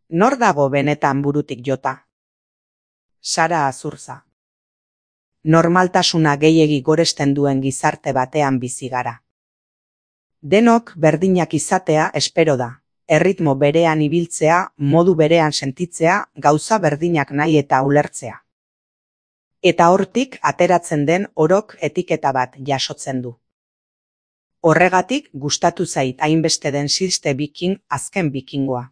Nor dago benetan burutik jota? Sara Azurza. Normaltasuna gehiegi goresten duen gizarte batean bizi gara. Denok berdinak izatea espero da. Erritmo berean ibiltzea, modu berean sentitzea, gauza berdinak nahi eta ulertzea. Eta hortik ateratzen den orok etiketa bat jasotzen du. Horregatik gustatu zait hainbeste den Sixte Viking azken bikingoa.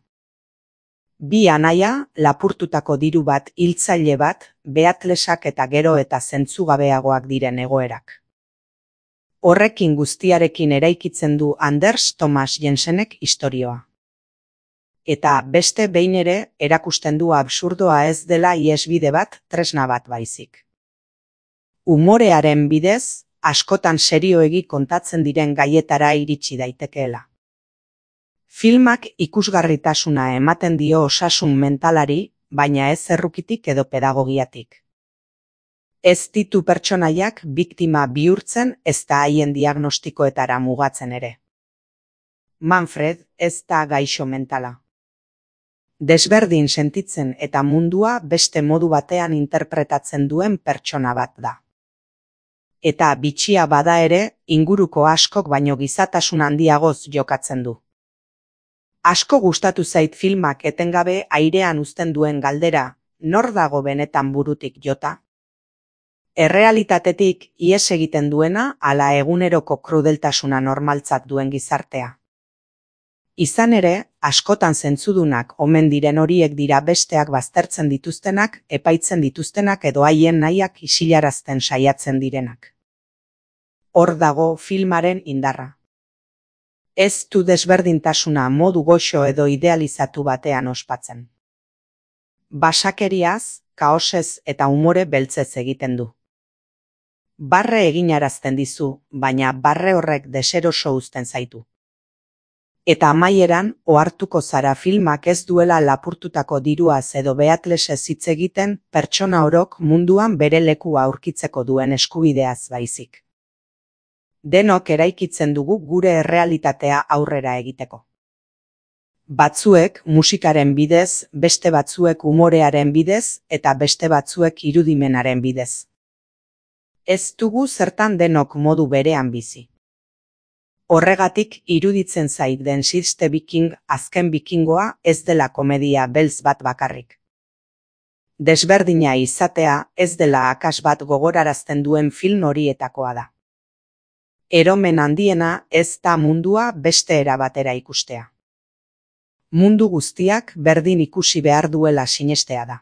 Bi anaia, lapurtutako diru bat, hiltzaile bat, behatlesak eta gero eta zentzugabeagoak diren egoerak. Horrekin guztiarekin eraikitzen du Anders Thomas Jensenek istorioa. Eta beste behin ere erakusten du absurdoa ez dela ihesbide bat, tresna bat baizik. Umorearen bidez, askotan serioegi kontatzen diren gaietara iritsi daitekeela. Filmak ikusgarritasuna ematen dio osasun mentalari, baina ez errukitik edo pedagogiatik. Ez ditu pertsonaiak biktima bihurtzen ezta haien diagnostikoetara mugatzen ere. Manfred ez da gaixo mentala. Desberdin sentitzen eta mundua beste modu batean interpretatzen duen pertsona bat da. Eta bitxia bada ere, inguruko askok baino gizatasun handiagoz jokatzen du. Asko gustatu zait filmak etengabe airean uzten duen galdera, nor dago benetan burutik jota? Errealitatetik ihes egiten duena ala eguneroko krudeltasuna normaltzat duen gizartea. Izan ere, askotan zentzudunak omen diren horiek dira besteak baztertzen dituztenak, epaitzen dituztenak edo haien nahiak isilarazten saiatzen direnak. Hor dago filmaren indarra. Ez du desberdintasuna modu goxo edo idealizatu batean ospatzen. Basakeriaz, kaosez eta umore beltzez egiten du. Barre eginarazten dizu, baina barre horrek deseroso uzten zaitu. Eta amaieran, ohartuko zara filmak ez duela lapurtutako diruaz edo behatlesez hitz egiten pertsona orok munduan bere lekua aurkitzeko duen eskubideaz baizik. Denok eraikitzen dugu gure errealitatea aurrera egiteko. Batzuek musikaren bidez, beste batzuek umorearen bidez eta beste batzuek irudimenaren bidez. Ez dugu zertan denok modu berean bizi. Horregatik iruditzen zait den Sixte Viking azken bikingoa ez dela komedia beltz bat bakarrik. Desberdina izatea ez dela akats bat gogorarazten duen film horietakoa da. Eromen handiena ez da mundua beste era batera ikustea. Mundu guztiak berdin ikusi behar duela sinestea da.